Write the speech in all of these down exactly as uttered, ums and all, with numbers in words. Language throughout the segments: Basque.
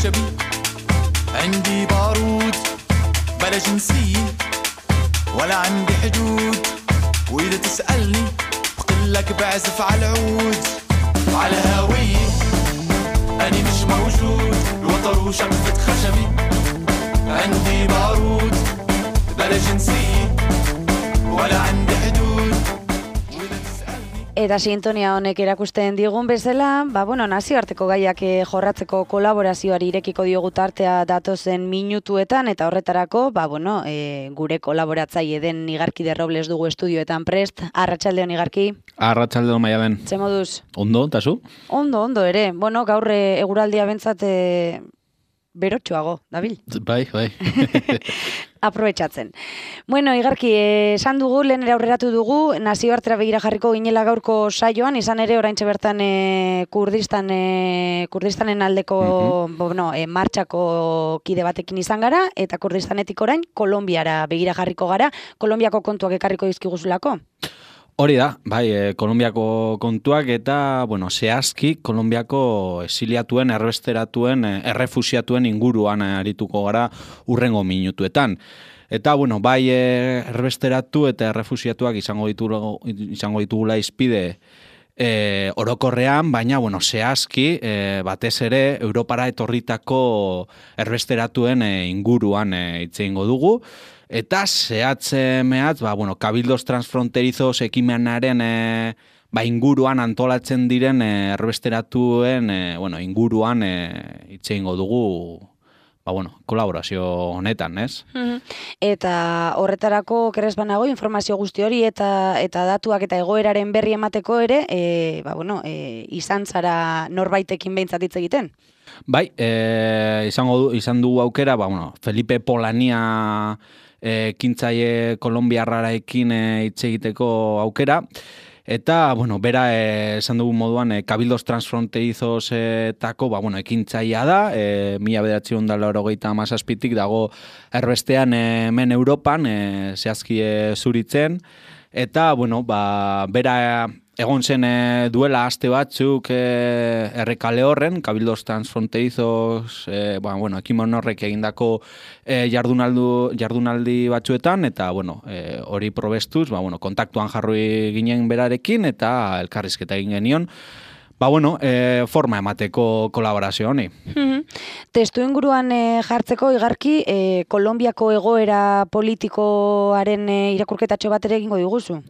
خشبي عندي بارود بلا جنسية ولا عندي حدود وإذا تسألني بقلك بعزف على العود وعلى هوية أنا مش موجود الوتر وشقفة خشبي عندي بارود بلا جنسية ولا عندي حدود. Eta sintonia honek erakusten digun bezala, ba, bueno, nazioarteko gaiak jorratzeko kolaborazioari irekiko diogu tartea datozen minutuetan, eta horretarako, ba, bueno, e, gure kolaboratzaile den Igarki de Robles dugu estudioetan prest. Arratsaldeon Igarki. Arratsaldeon Maialen. Ze moduz? Ondo, eta zu? Ondo, ondo ere. Bueno, gaur eguraldia bentsat e, berotxoago, dabil? Bai, bai. Aprobetxatzen. Bueno, Igarki, esan dugu, lehen ere aurreratu dugu, nazioartera begira jarriko ginela gaurko saioan, izan ere oraintxe bertan e, Kurdistan, e, Kurdistanen aldeko uh-huh. bueno, e, martxako kide batekin izan gara, eta Kurdistanetik orain Kolonbiara begira jarriko gara, Kolonbiako kontuak ekarriko dizkiguzulako? Hori da, bai, e, Kolonbiako kontuak eta, bueno, zehazki Kolonbiako esiliatuen, erbesteratuen, errefusiatuen inguruan arituko gara urrengo minutuetan. Eta, bueno, bai e, erbesteratu eta errefusiatuak izango ditugu, izango ditugula izpide e, orokorrean, baina, bueno, zehazki, e, batez ere, Europara etorritako erbesteratuen e, inguruan e, hitz egingo dugu. Eta zehatze mehatz, ba, bueno, Cabildos Transfronterizos ekimenaren e, ba, inguruan antolatzen diren e, erbesteratuen e, bueno, inguruan e, hitz egingo dugu ba, bueno, kolaborazio honetan, ez? Mm-hmm. Eta horretarako keres banago informazio guzti hori eta eta datuak eta egoeraren berri emateko ere, e, ba, bueno, e, izan zara norbaitekin behintzat hitz egiten? Bai, e, izango du, izan dugu aukera, ba, bueno, Felipe Polania E, kintzaile kolombiarrarekin hitz egiteko aukera, eta, bueno, bera e, esan dugu moduan e, Cabildos Transfronterizos etako, ba, bueno, ekintzailea da, e, mila bederatziehun eta laurogeita hamazazpitik dago erbestean e, hemen Europan, e, zehazki e, zuritzen, eta, bueno, ba, bera egon zen e, duela aste batzuk e, errekale horren, Cabildos Transfronterizos, e, ba, bueno, ekimen horrek egindako e, jardunaldu, jardunaldi batzuetan, eta, bueno, e, hori probestuz, ba, bueno, kontaktuan jarri ginen berarekin, eta elkarrizketa egin genion, ba, bueno, e, forma emateko kolaborazio honi. Mm-hmm. Testu inguruan e, jartzeko, Igarki, e, Kolonbiako egoera politikoaren e, irakurketatxo bat ere egingo diguzu?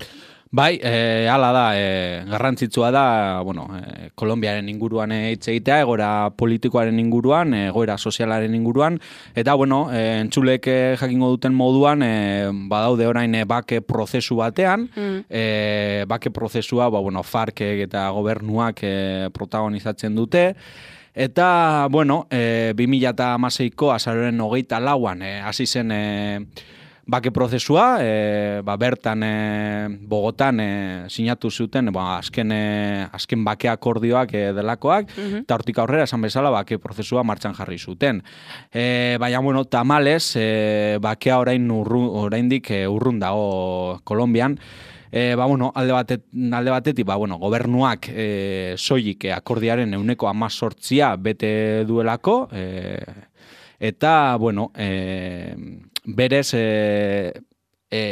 Bai, e, hala da, e, garrantzitsua da, bueno, e, Kolonbiaren inguruan hitz egitea, egoera politikoaren inguruan, egoera sozialaren inguruan, eta, bueno, e, entzulek jakingo duten moduan, e, badaude orain e, bake prozesu batean, mm. e, bake prozesua, ba, bueno, FARC eta gobernuak e, protagonizatzen dute, eta, bueno, e, bi mila hamaseiko azaroaren hogeita lauan, e, hasi zen e, bake prozesua, e, ba, bertan e, Bogotan e, sinatu zuten, ba, azken, e, azken bake akordioak e, delakoak, mm-hmm. eta hortik aurrera esan bezala bake prozesua martxan jarri zuten. E, baina, bueno, tamales, e, bakea orain urru, oraindik e, urrun dago Kolonbian, E, ba, bueno, alde, batet, alde batetik, ba, bueno, gobernuak e, soilik e, akordiaren euneko amazortzia bete duelako, e, eta, bueno, e, berez e, e,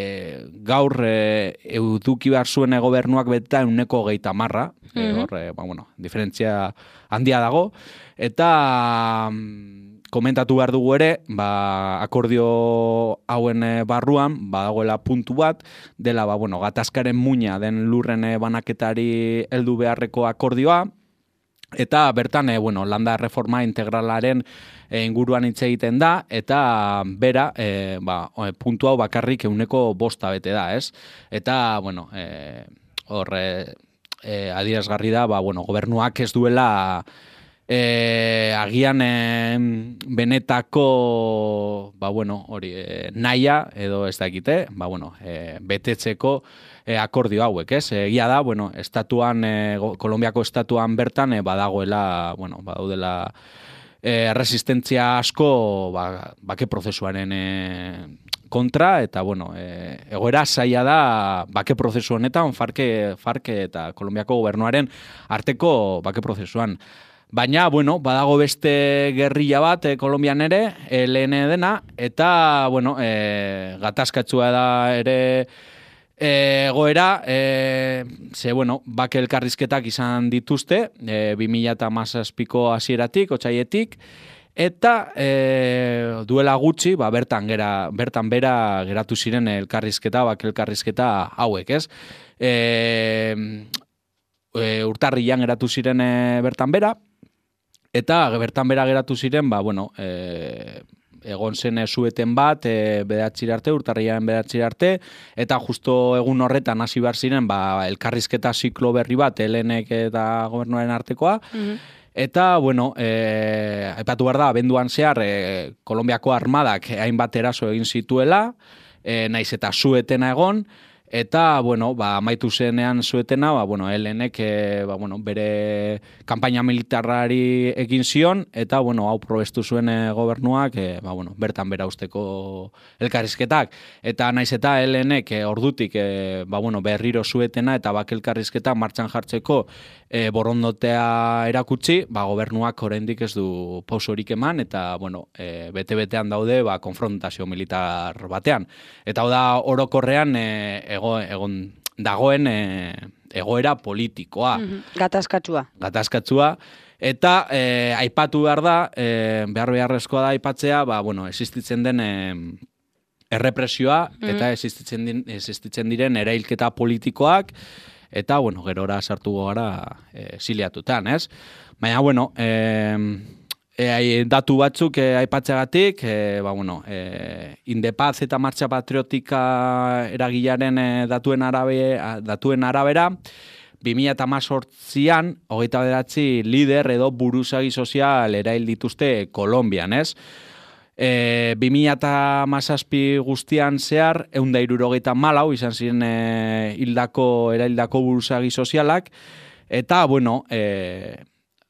gaur e, eduki behar zuen gobernuak beta euneko geita marra, mm-hmm. e, hor, e, ba, bueno, diferentzia handia dago, eta komentatu behar dugu ere, ba, akordio hauen barruan, badagoela puntu bat, dela, ba, bueno, gatazkaren muina den lurren banaketari heldu beharreko akordioa, eta bertan, e, bueno, landa reforma integralaren e, inguruan hitz egiten da, eta bera, e, ba, puntu hau bakarrik euneko bosta bete da, ez? Eta, bueno, e, hor, e, e, adierazgarri da, ba, bueno, gobernuak ez duela E, agian e, benetako ba, bueno, hori, e, naia edo ez dakite, ba, bueno, e, betetzeko e, akordio hauek, ez? Egia da, bueno, estatuan, e, Kolonbiako estatuan bertan e, badagoela, bueno, badaudela e, resistentzia asko ba, bake prozesuaren e, kontra, eta, bueno, e, egoera zaila da bake prozesu honetan, farke, farke eta Kolonbiako gobernuaren arteko bake prozesuan. Baina, bueno, badago beste gerrilla bat e, Kolombian ere, L N dena, eta, bueno, e, gatazkatsua da ere egoera, e, ze, bueno, bake elkarrizketak izan dituzte, e, bi mila hamazazpiko hasieratik, otsaietik, eta e, duela gutxi, ba, bertan, gera, bertan bera geratu ziren elkarrizketa, bake elkarrizketa hauek, ez? E, e, urtarrian geratu ziren e, bertan bera, eta bertan bera geratu ziren, ba, bueno, e, egon zen zueten bat, e, bedatzira arte, urtarriaren bedatzira arte, eta justo egun horretan hasi behar ziren, ba, elkarrizketa ziklo berri bat, L N K eta gobernuaren artekoa, mm-hmm. Eta, bueno, e, aipatu behar da, abenduan zehar, e, Kolombiako armadak hainbat eraso egin zituela, e, naiz eta zuetena egon, eta, bueno, ba, amaitu zenean zuetena, ba, bueno, L N K, ba, bueno, bere kanpaina militarrari egin zion, eta, bueno, hau probestu zuen e, gobernuak, e, ba, bueno, bertan bera usteko elkarrizketak. Eta naiz eta L N K ordutik, e, ba, bueno, berriro zuetena eta bake elkarrizketa martxan jartzeko e, borondotea erakutsi, ba, gobernuak oraindik ez du pausorik eman, eta, bueno, e, bete-betean daude, ba, konfrontazio militar batean. Eta hau da, orokorrean, e, Ego, egon dagoen e, egoera politikoa. Mm-hmm. Gatazkatsua. Gatazkatsua. Eta e, aipatu behar da, e, behar beharrezkoa da aipatzea, ba, bueno, existitzen den e, errepresioa, mm-hmm. eta existitzen, din, existitzen diren erailketa politikoak, eta, bueno, gerora sartu gara e, ziliatutan, ez? Baina, bueno, e, E, datu batzuk e, aipatzeagatik, e, ba, bueno, e, Indepaz eta Martxa Patriotika eragilaren e, datuen, arabe, datuen arabera, bi mila hemezortzian, hogeita bederatzi lider edo buruzagi sozial erail dituzte Kolonbian, ez? E, bi mila hamazazpi guztian zehar, ehun eta hirurogeita hamalau izan ziren e, hildako, eraildako buruzagi sozialak, eta, bueno, e,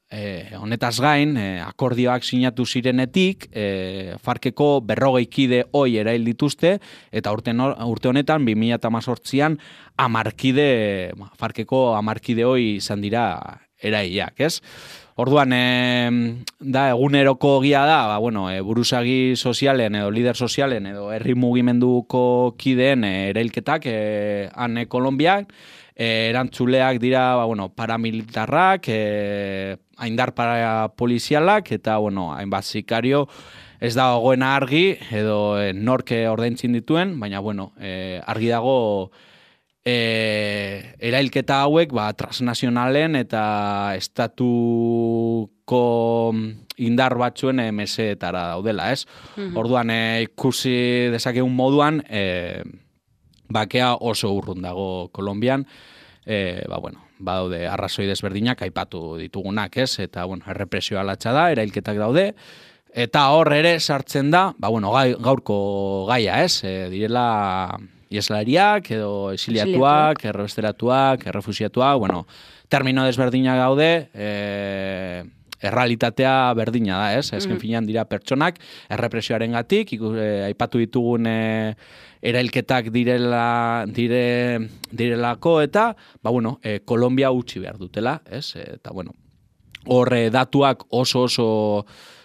E, honetaz gain, e, akordioak sinatu zirenetik, e, Farkeko berrogei kide hoi erail dituzte, eta urte, no, urte honetan, bi mila hamazortzian, amarkide, Farkeko amarkide hoi izan dira erailak, ez? Orduan, e, da, eguneroko gia da, ba, bueno, e, buruzagi sozialen edo lider sozialen edo herri mugimenduko kideen e, erailketak e, han e, Kolonbiak, E, erantzuleak dira, ba, bueno, paramilitarrak, e, aindar para polizialak, eta, bueno, hainbat sikario ez da gogoena argi, edo e, norke ordaintzin dituen, baina, bueno, e, argi dago e, erailketa hauek, ba, transnazionalen eta estatuko indar batzuen e, meseetara daudela, ez? Mm-hmm. Orduan, e, ikusi dezakegun moduan, e, bakea oso urrun dago Kolonbian, e, ba, bueno, badaude arrazoi desberdinak aipatu ditugunak, ez? Eta, bueno, errepresioa latxa da, erailketak daude, eta hor ere sartzen da, ba, bueno, gai, gaurko gaia, ez? E, direla ieslariak, edo exiliatuak, errebesteratuak, errefusiatuak, bueno, termino desberdinak daude, e, errealitatea berdina da, ez? Ezken finean dira pertsonak, errepresioaren gatik, aipatu ditugun e, erailketak direla, dire, direlako, eta, ba, bueno, e, Kolombia utzi behar dutela, ez? Eta, bueno, hor e, datuak oso oso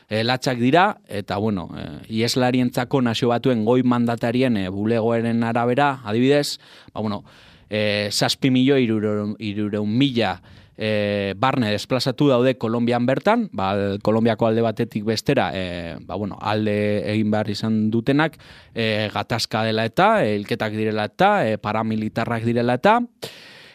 e, latxak dira, eta, bueno, e, ieslarientzako nazio batuen goi mandatarien e, bulegoaren arabera, adibidez, ba, bueno, e, zazpi milioi hirureun mila E, barne desplazatu daude Kolonbian bertan, ba, Kolonbiako alde batetik bestera, e, ba, bueno, alde egin behar izan dutenak, e, gatazka dela eta, hilketak direla eta, e, paramilitarrak direla eta,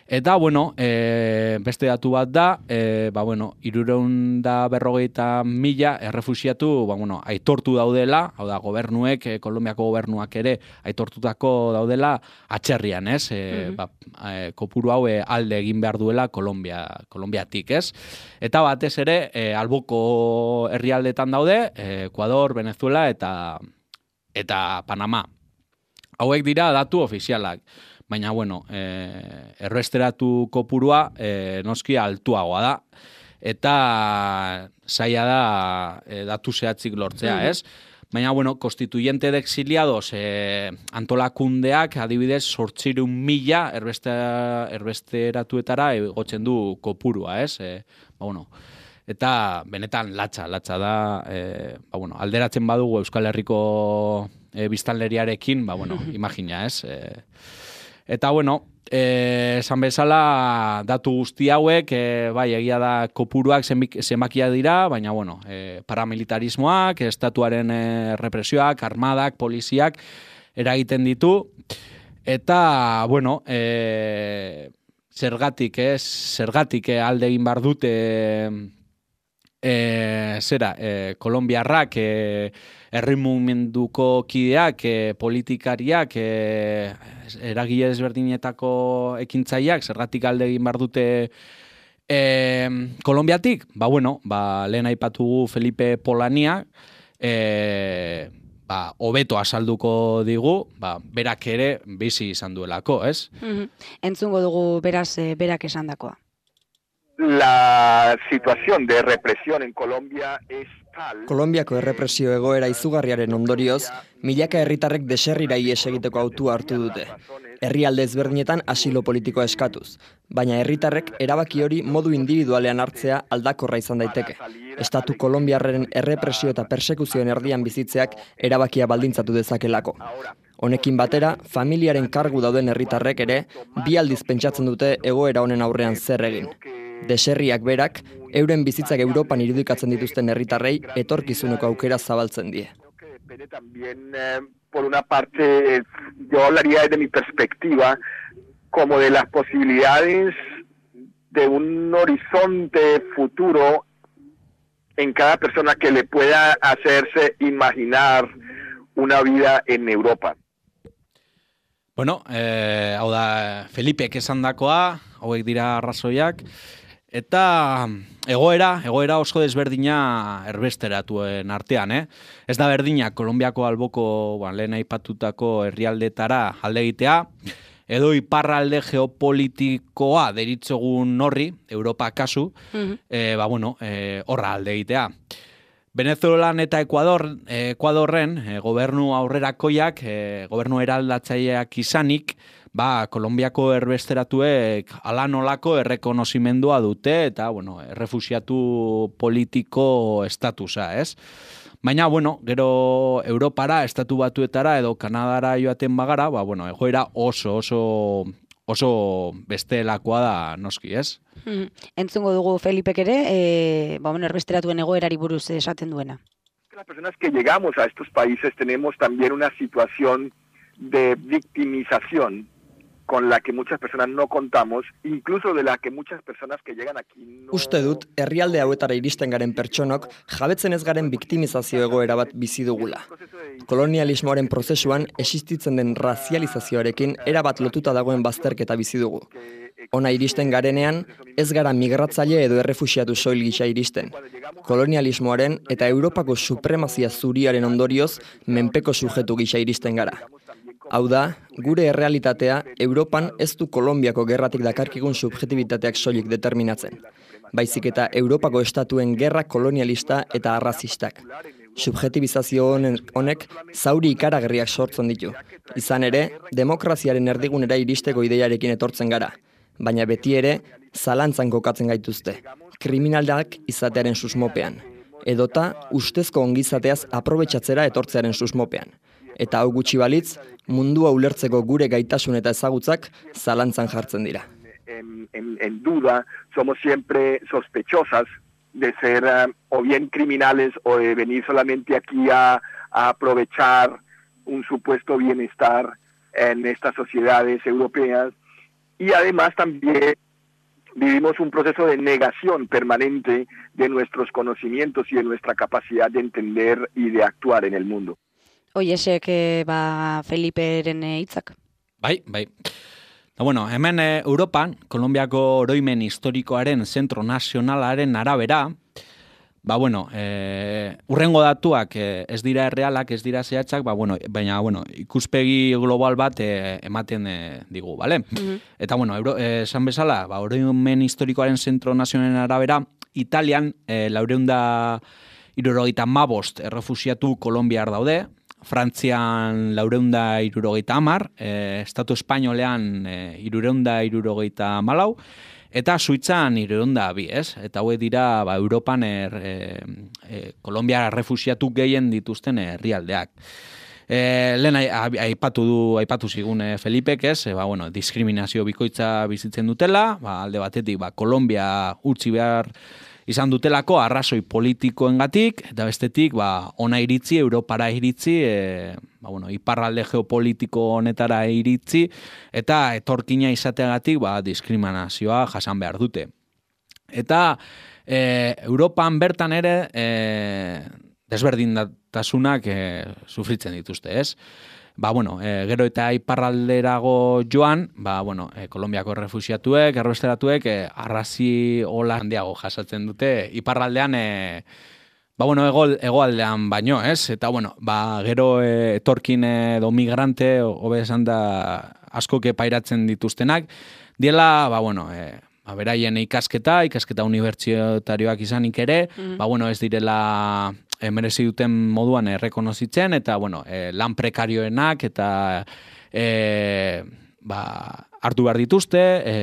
eta, bueno, e, beste datu bat da, e, ba, bueno, hirureun eta berrogeita mila errefusiatu, ba, bueno, aitortu daudela, hau da, gobernuek, e, Kolonbiako gobernuak ere, aitortutako daudela atxerrian, ez? E, mm-hmm. ba, e, kopuru hau e, alde egin behar duela Kolombia, Kolonbiatik, ez? Eta batez ere, e, alboko herrialdetan daude, e, Ecuador, Venezuela eta, eta Panama. Hauek dira datu ofizialak. Baina, bueno, e, erresteratu kopurua e, noski altuagoa da. Eta zaila da e, datu zehatzik lortzea, mm-hmm. ez? Baina, bueno, konstituyente de exiliados e, antolakundeak adibidez zortziehun mila erbeste, erbesteratuetara egotzen du kopurua, ez? E, ba, bueno, eta benetan latza, latza da, e, ba, bueno, alderatzen badugu Euskal Herriko e, biztanleriarekin, ba, bueno, imagina, ez? E, eta, bueno, e, esan bezala datu guzti hauek, e, bai, egia da kopuruak zenbakia dira, baina, bueno, e, paramilitarismoak, estatuaren e, represioak, armadak, poliziak, eragiten ditu, eta, bueno, e, zergatik, ez, zergatik eh, alde egin bar dute e, zera, e, kolombiarrak, e, herri mugimenduko kideak, e, politikariak, e, eragile ezberdinetako ekintzaileak, zergatik alde egin bar dute e, Kolonbiatik? Ba, bueno, ba, lehen aipatugu Felipe Polania, e, ba, hobeto azalduko digu, ba, berak ere bizi izan duelako, ez? Mm-hmm. Entzungo dugu beraz e, berak esandakoa. La situación de represión en Colombia es tal... Kolonbiako errepresio egoera izugarriaren ondorioz, milaka herritarrek deserrira ihes egiteko autua hartu dute. Herrialde ezberdinetan asilo politikoa eskatuz, baina herritarrek erabaki hori modu individualean hartzea aldakorra izan daiteke. Estatu kolonbiarren errepresio eta persekuzioen erdian bizitzeak erabakia baldintzatu dezakelako. Honekin batera, familiaren kargu dauden herritarrek ere, bi aldiz pentsatzen dute egoera honen aurrean zer egin. Deserriak berak, euren bizitzak Europan irudikatzen dituzten herritarrei etorkizuneko aukera zabaltzen die. También, eh, por una parte, yo hablaría desde mi perspectiva como de las posibilidades de un horizonte futuro en cada persona que le pueda hacerse imaginar una vida en Europa. Bueno, eh, hau da Felipek esandakoa, hauek dira arrazoiak, eta egoera, egoera oso desberdina erbesteratuen artean, eh? Ez da berdina Kolonbiako alboko, ba, lehen aipatutako herrialdetara alde egitea, edo iparralde geopolitikoa deritzogun horri, Europa kasu, mm-hmm. e, ba, bueno, e, horra alde egitea. Venezuelan eta Ekuador, Ekuadorren e, gobernu aurrerakoiak, e, gobernu eraldatzaileak izanik, ba, Kolonbiako erbesteratuek ala nolako errekonozimendua dute eta, bueno, errefuxiatu politiko estatusa, ez? Baina, bueno, gero Europara, estatu batuetara edo Kanadara joaten bagara, ba, bueno, egoera oso, oso, oso bestelakoa da noski, ez? Hmm. Entzungo dugu Felipek ere, e, ba, bueno, erbesteratuen egoerari buruz esaten duena. Las personas que llegamos a estos países tenemos también una situación de victimización con la que muchas personas no contamos, incluso de la que muchas personas que llegan aquí no... Uste dut, herrialde hauetara iristen garen pertsonok, jabetzen ez garen biktimizazio egoera bat bizi dugula. Kolonialismoaren prozesuan, existitzen den razializazioarekin erabat lotuta dagoen bazterketa bizi dugu. Ona iristen garenean, ez gara migratzaile edo errefuxiatu soil gisa iristen. Kolonialismoaren eta Europako supremazia zuriaren ondorioz, menpeko sujetu gisa iristen gara. Hau da, gure errealitatea Europan ez du Kolonbiako gerratik dakarkigun subjetibitateak soilik determinatzen. Baizik eta Europako estatuen gerra kolonialista eta arrazistak. Subjetibizazio honek zauri ikaragarriak sortzen ditu. Izan ere, demokraziaren erdigunera iristeko ideiarekin etortzen gara. Baina beti ere, zalantzan kokatzen gaituzte. Kriminalak izatearen susmopean. Edota, ustezko ongizateaz aprobetxatzera etortzearen susmopean. Eta hau gutxi balitz, mundua ulertzeko gure gaitasun eta ezagutzak zalantzan jartzen dira. En, en, en duda, somos siempre sospechosas de ser uh, o bien criminales o de venir solamente aquí a, a aprovechar un supuesto bienestar en estas sociedades europeas. Y además también vivimos un proceso de negación permanente de nuestros conocimientos y de nuestra capacidad de entender y de actuar en el mundo. Oiesek, ba, Feliperen hitzak. Bai, bai. Da, bueno, hemen e, Europan, Kolonbiako oroimen historikoaren zentro nazionalaren arabera, ba, bueno, e, urrengo datuak e, ez dira errealak, ez dira zehatzak, ba, bueno, baina, bueno, ikuspegi global bat e, ematen e, digu, bale? Mm-hmm. Eta, bueno, Euro, e, esan bezala, ba, oroimen historikoaren zentro nazionalen arabera, Italian, e, laureunda irurogeita mabost errefusiatu kolonbiar daude, Frantzian laureunda irurogeita amar, e, Estatu Espainolean e, irureunda irurogeita malau, eta Suitzan hirurehun eta bi, ez? Eta hauek dira ba, Europan er, e, e, Kolonbia refuxiatu gehien dituzten herrialdeak. E, lehen aipatu du, aipatu zigun e, Felipek, ez? E, ba, bueno, diskriminazio bikoitza bizitzen dutela, ba, alde batetik ba, Kolonbia utzi behar izan dutelako arrazoi politikoengatik, eta bestetik ba, ona iritzi, Europara iritzi, e, ba, bueno, iparralde geopolitiko honetara iritzi, eta etorkina izateagatik ba, diskriminazioa jasan behar dute. Eta e, Europan bertan ere e, desberdintasunak e, sufritzen dituzte, ez? Ba, bueno, e, gero eta iparralderago joan, ba, bueno, e, Kolonbiako refuxiatuek, erbesteratuek, e, arrazi hola handiago jasatzen dute, iparraldean, e, ba, bueno, ego, egoaldean baino, ez? Eta, bueno, ba, gero e, etorkin edo migrante, hobe esan da, askoke pairatzen dituztenak, diela, ba, bueno, e, ba, beraien ikasketa, ikasketa unibertsitarioak izanik ere, mm. ba, bueno, ez direla E, merezi duten moduan errekonozitzen, eta, bueno, e, lan prekarioenak, eta e, ba, hartu behar dituzte, e,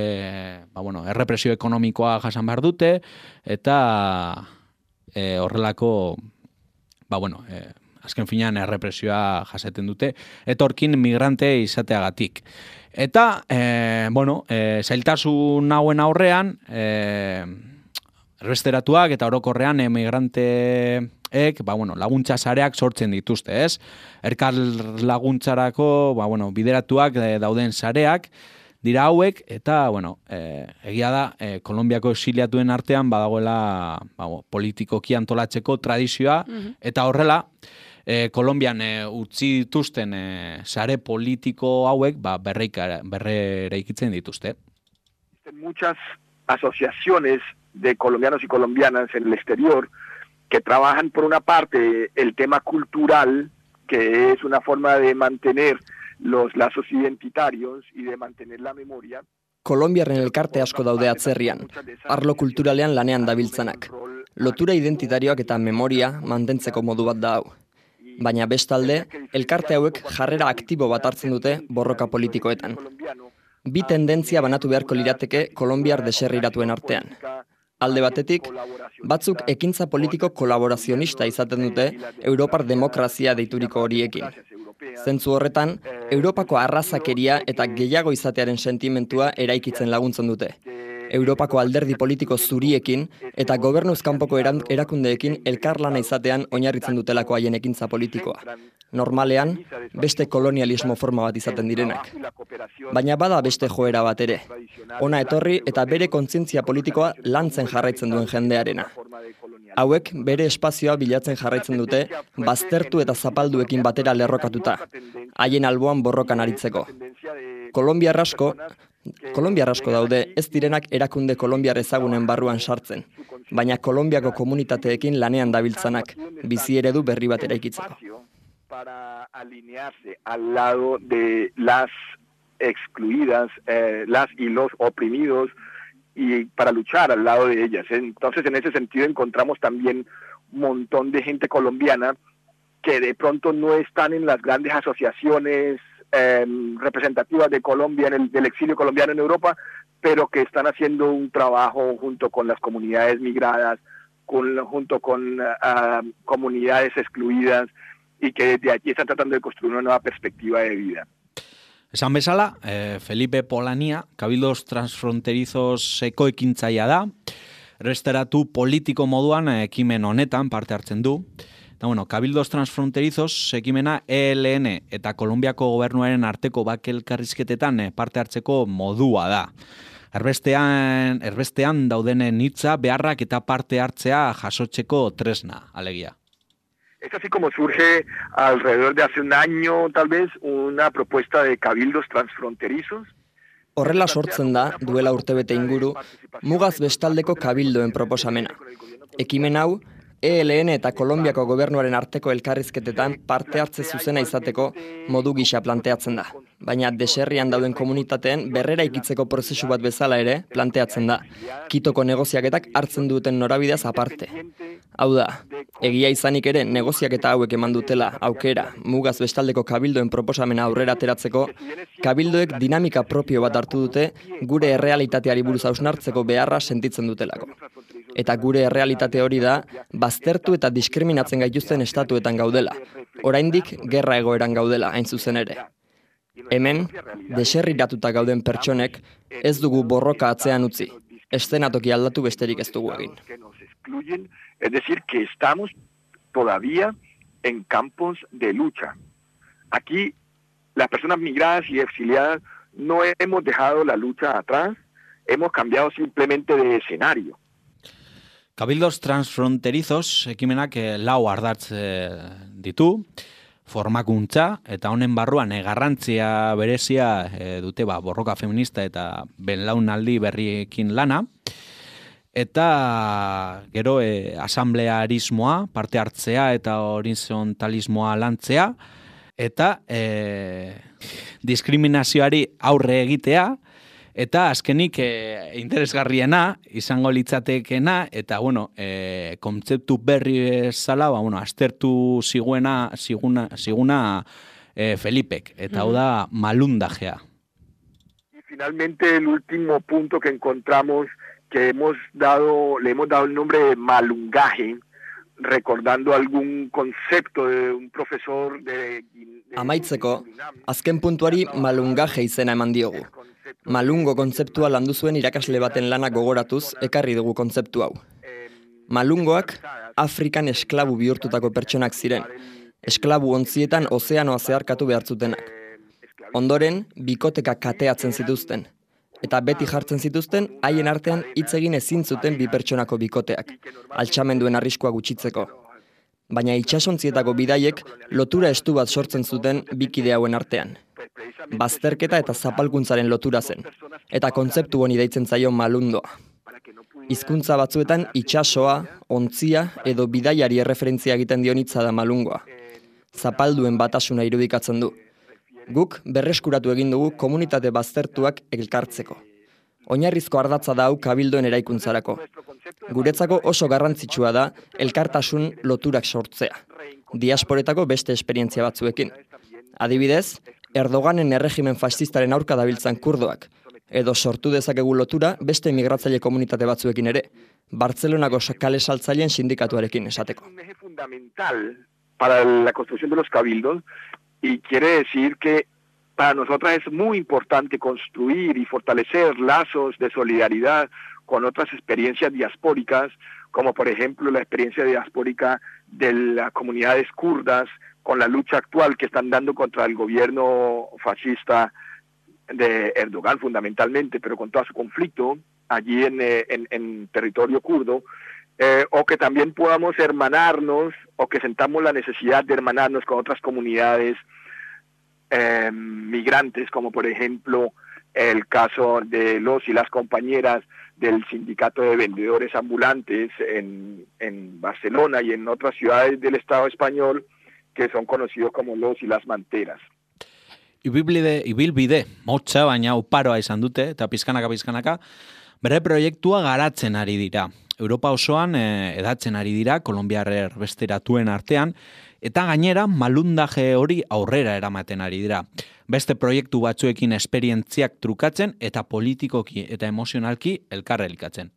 ba, bueno, errepresio ekonomikoa jasan behar dute, eta e, horrelako, ba, bueno, e, azken finean errepresioa jasaten dute, etorkin migrante izateagatik. Eta, e, bueno, e, zailtasun hauen aurrean, e, erbesteratuak eta orokorrean emigrante Ek, ba, bueno, laguntza sareak sortzen dituzte, ez? Erkar laguntzarako, ba, bueno, bideratuak dauden sareak dira hauek, eta, bueno, e, egia da, e, Kolonbiako exiliatuen artean badagoela ba, politikoki antolatzeko tradizioa, mm-hmm. eta horrela, e, Kolonbian e, utzi dituzten e, sare politiko hauek ba, berreikitzen dituzte. Muchas asociaciones de colombianos y colombianas en el exterior que trabajan por una parte el tema cultural, que es una forma de mantener los lazos identitarios y de mantener la memoria. Kolonbiarren elkarte asko daude atzerrian, arlo kulturalean lanean dabiltzanak. Lotura identitarioak eta memoria mantentzeko modu bat da hau. Baina bestalde, elkarte hauek jarrera aktibo bat hartzen dute borroka politikoetan. Bi tendentzia banatu beharko lirateke kolonbiar deserriratuen artean. Alde batetik, batzuk ekintza politiko kolaborazionista izaten dute Europar demokrazia deituriko horiekin. Zentzu horretan, Europako arrazakeria eta gehiago izatearen sentimentua eraikitzen laguntzen dute. Europako alderdi politiko zuriekin eta gobernuz kanpoko erakundeekin elkarlana izatean oinarritzen dutelako haien ekintza politikoa. Normalean, beste kolonialismo forma bat izaten direnak. Baina bada beste joera bat ere. Hona etorri eta bere kontzientzia politikoa lantzen jarraitzen duen jendearena. Hauek bere espazioa bilatzen jarraitzen dute, baztertu eta zapalduekin batera lerrokatuta, haien alboan borrokan aritzeko. Kolonbiar asko, Kolonbiar asko daude ez direnak erakunde kolonbiar ezagunen barruan sartzen, baina Kolonbiako komunitateekin lanean dabiltzanak, bizi eredu berri bat eraikitzeko. Para alinearse al lado de las excluidas, eh, las y los oprimidos, y para luchar al lado de ellas. Entonces, en ese sentido, encontramos también un montón de gente colombiana que de pronto no están en las grandes asociaciones eh, representativas de Colombia, en el, del exilio colombiano en Europa, pero que están haciendo un trabajo junto con las comunidades migradas, con, junto con uh, comunidades excluidas, y que desde allí están tratando de construir una nueva perspectiva de vida. Esan bezala, eh, Felipe Polania, Cabildos Transfronterizos ekoekintzaia da, erbesteratu politiko moduan ekimen honetan parte hartzen du. Eta, bueno, Cabildos Transfronterizos ekimena E L N eta Kolonbiako gobernuaren arteko bake elkarrizketetan parte hartzeko modua da. Erbestean, erbestean daudenen hitza, beharrak eta parte hartzea jasotzeko tresna, alegia. Es así como surge alrededor de hace un año, tal vez, una propuesta de cabildos transfronterizos. Horrela sortzen da, duela urtebete inguru, mugaz bestaldeko kabildoen proposamena. Ekimen hau, E L N eta Kolonbiako gobernuaren arteko elkarrizketetan parte hartze zuzena izateko modu gisa planteatzen da. Baina deserrian dauden komunitateen berrera ikitzeko prozesu bat bezala ere planteatzen da. Kitoko negoziaketak hartzen duten norabideaz aparte. Hau da, egia izanik ere negoziaketa hauek eman dutela aukera mugaz bestaldeko kabildoen proposamena aurrera ateratzeko, kabildoek dinamika propio bat hartu dute gure errealitateari buruz hausnartzeko beharra sentitzen dutelako. Eta gure errealitate hori da, baztertu eta diskriminatzen gaituzten estatuetan gaudela. Oraindik gerra egoeran gaudela, hain zuzen ere. Hemen, deserriratuta gauden pertsonek ez dugu borroka atzean utzi. Eszenatoki aldatu besterik ez dugu egin. Es decir, que estamos todavía en campos de lucha. Aquí, las personas migradas y exiliadas no hemos dejado la lucha atrás, hemos cambiado simplemente de escenario. Cabildos transfronterizos ekimenak eh, lau ardatz eh, ditu, formakuntza eta honen barruan eh, garrantzia berezia eh, dute ba, borroka feminista eta belaunaldi berriekin lana, eta gero eh, asamblearismoa, parte hartzea eta horizontalismoa lantzea, eta eh, diskriminazioari aurre egitea, eta azkenik e, interesgarriena izango litzatekena, eta bueno, e, kontzeptu berri bezala, ba, bueno, aztertu ziguena, ziguna, ziguna e, Felipek, eta hau da malundajea. Y finalmente el último punto que encontramos, que hemos dado, le hemos dado el nombre de malungaje, recordando algún concepto de un profesor de... de Amaitzeko, azken puntuari malungaje izena eman diogu. Malungo kontzeptua landu zuen irakasle baten lana gogoratuz ekarri dugu kontzeptu hau. Malungoak Afrikan esklabu bihurtutako pertsonak ziren. Esklabu ontzietan ozeanoa zeharkatu behartzutenak. Ondoren, bikoteka kateatzen zituzten. Eta beti jartzen zituzten, haien artean hitz egin ezin zuten bi pertsonako bikoteak, altxamenduen arriskua gutxitzeko. Baina itsasontzietako bidaiek lotura estu bat sortzen zuten bikide hauen artean. Bazterketa eta zapalkuntzaren lotura zen, eta kontzeptu honi deitzen zaio malundoa. Hizkuntza batzuetan itsasoa, ontzia edo bidaiari erreferentzia egiten dion hitza da malungoa. Zapalduen batasuna irudikatzen du. Guk berreskuratu egin dugu komunitate baztertuak elkartzeko. Oinarrizko ardatza da hau kabildoen eraikuntzarako. Guretzako oso garrantzitsua da elkartasun loturak sortzea. Diasporetako beste esperientzia batzuekin. Adibidez, Erdoganen erregimen fascistaren aurka dabiltzan kurdoak, edo sortu dezakegu lotura beste migratzaile komunitate batzuekin ere, Bartzelonako kale saltzaileen sindikatuarekin esateko. Un eje fundamental para la construcción de los cabildos, y quiere decir que para nosotras es muy importante construir y fortalecer lazos de solidaridad con otras experiencias diaspóricas, como por ejemplo la experiencia diaspórica de las comunidades kurdas, con la lucha actual que están dando contra el gobierno fascista de Erdogan fundamentalmente, pero con todo su conflicto allí en, en, en territorio kurdo, eh, o que también podamos hermanarnos, o que sentamos la necesidad de hermanarnos con otras comunidades eh, migrantes, como por ejemplo el caso de los y las compañeras del sindicato de vendedores ambulantes en, en Barcelona y en otras ciudades del Estado español, que son conocidos como los y las manteras. Ibilbide, ibilbide, motxa, baina uparoa izan dute, eta pizkanaka pizkanaka, bere proiektua garatzen ari dira. Europa osoan eh, edatzen ari dira, Kolonbiar erbesteratuen artean, eta gainera malundaje hori aurrera eramaten ari dira. Beste proiektu batzuekin esperientziak trukatzen eta politikoki eta emozionalki elkarrelikatzen.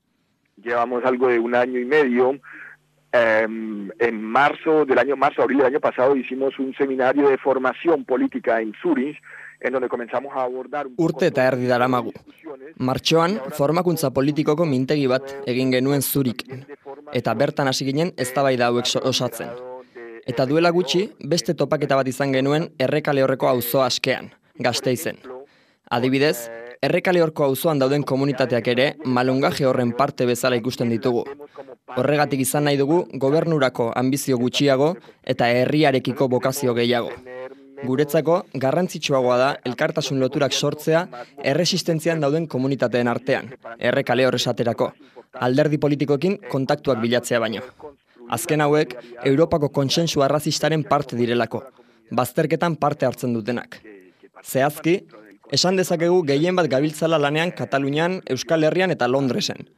Llevamos algo de un año y medio. Eh, en marzo del año, marzo, abril del año pasado hicimos un seminario de formación política en Zurich, en donde comenzamos a abordar... Urte eta erdi daramagu. Martxoan, formakuntza politikoko mintegi bat egin genuen Zurichen, eta bertan hasi ginen eztabaida hauek osatzen. Eta duela gutxi, beste topaketa bat izan genuen Errekale Horreko auzo askean, Gasteizen. Adibidez, Errekale Horko auzoan dauden komunitateak ere malungaje horren parte bezala ikusten ditugu. Horregatik izan nahi dugu gobernurako anbizio gutxiago eta herriarekiko bokazio gehiago. Guretzako garrantzitsuagoa da elkartasun loturak sortzea erresistentzian dauden komunitateen artean, Errekale Hor esaterako, alderdi politikoekin kontaktuak bilatzea baino. Azken hauek, Europako kontsensu arrazistaren parte direlako, bazterketan parte hartzen dutenak. Zehazki, esan dezakegu gehien bat gabiltzala lanean Katalunian, Euskal Herrian eta Londresen.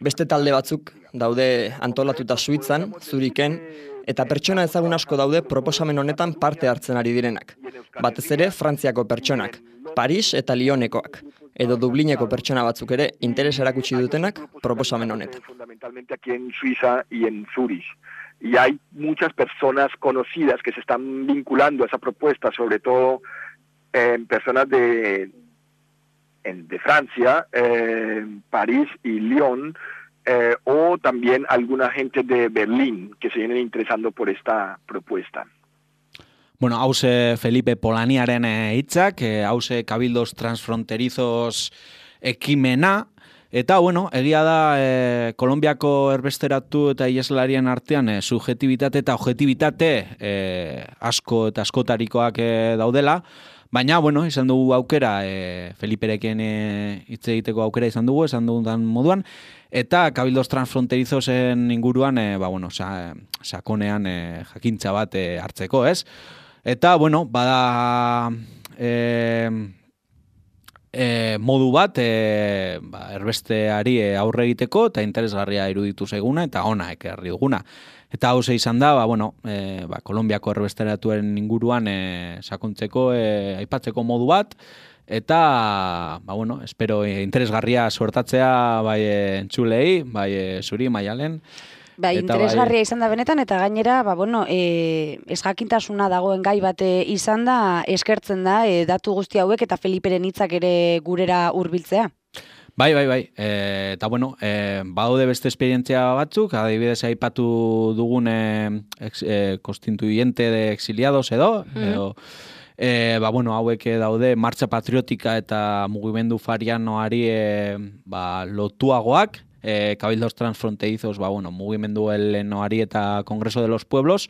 Beste talde batzuk daude antolatuta Suitzan, Zuriken, eta pertsona ezagun asko daude proposamen honetan parte hartzen ari direnak. Batez ere, Frantziako pertsonak, Paris eta Lyonekoak, edo Dublineko pertsona batzuk ere interes erakutsi dutenak proposamen honetan. Fundamentalmente aquí en Suiza y en Zurich. Y hay muchas personas conocidas que se están vinculando a esa propuesta, sobre todo eh, personas de, en, de Francia, eh, París y Lyon, eh, o también alguna gente de Berlín que se vienen interesando por esta propuesta. Bueno, hause Felipe Polaniaren hitzak, eh, hause Cabildos Transfronterizos ekimena, eta, bueno, egia da, eh, Kolonbiako erbesteratu eta ieslarien artean eh, subjetibitate eta objetibitate eh, asko eta askotarikoak eh, daudela, baina, bueno, izan dugu aukera, eh, Feliperekin eh, hitz egiteko aukera izan dugu, esan dugun moduan, eta Cabildos Transfronterizosen inguruan, eh, ba, bueno, sa, sakonean eh, jakintza bat eh, hartzeko, ez? Eta, bueno, bada e, e, modu bat e, ba, erbesteari aurre egiteko eta interesgarria iruditu zaiguna eta ona ekarri duguna. Eta hau ze izan da, ba, bueno, e, ba, Kolonbiako erbesteratuaren inguruan e, sakontzeko, e, aipatzeko modu bat, eta, ba, bueno, espero e, interesgarria suertatzea bai entzulei, bai e, zuri, Maialen. Bai, interesgarria bai... izan da benetan, eta gainera, ba, bueno, e, ezjakintasuna dagoen gai bate izan da, eskertzen da, e, datu guzti hauek eta Feliperen hitzak ere gurera hurbiltzea. Bai, bai, bai. E, eta, bueno, e, badaude beste esperientzia batzuk, adibidez aipatu dugun e, ex, e, constituyente de exiliados edo, mm. edo e, ba, bueno, hauek daude Martxa Patriotika eta mugimendu farianoari e, ba, lotuagoak, Eh, Cabildos Transfronterizos, ba, bueno, mugimendu helenoari eta Kongreso de los Pueblos,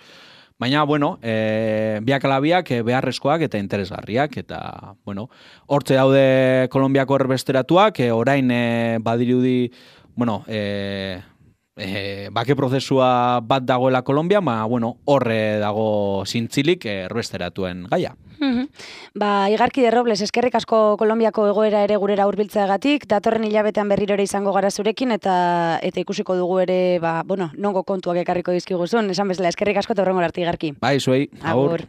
baina, bueno, eh, biak ala biak eh, beharrezkoak eta interesgarriak, eta, bueno, hortze daude Kolonbiako erbesteratuak, eh, orain eh, badirudi, bueno, eh, eh, bake prozesua bat dagoela Kolonbia, ba, bueno, horre dago zintzilik eh, erbesteratuen gaia. Mm-hmm. Ba, Igarki de Robles, eskerrik asko Kolonbiako egoera ere gurera hurbiltzeagatik, datorren hilabetean berriro ere izango gara zurekin, eta eta ikusiko dugu ere, ba, bueno, nongo kontuak ekarriko dizkiguzun, esan bezala, eskerrik asko eta horrengor arte, Igarki. Bai, zuei, agur.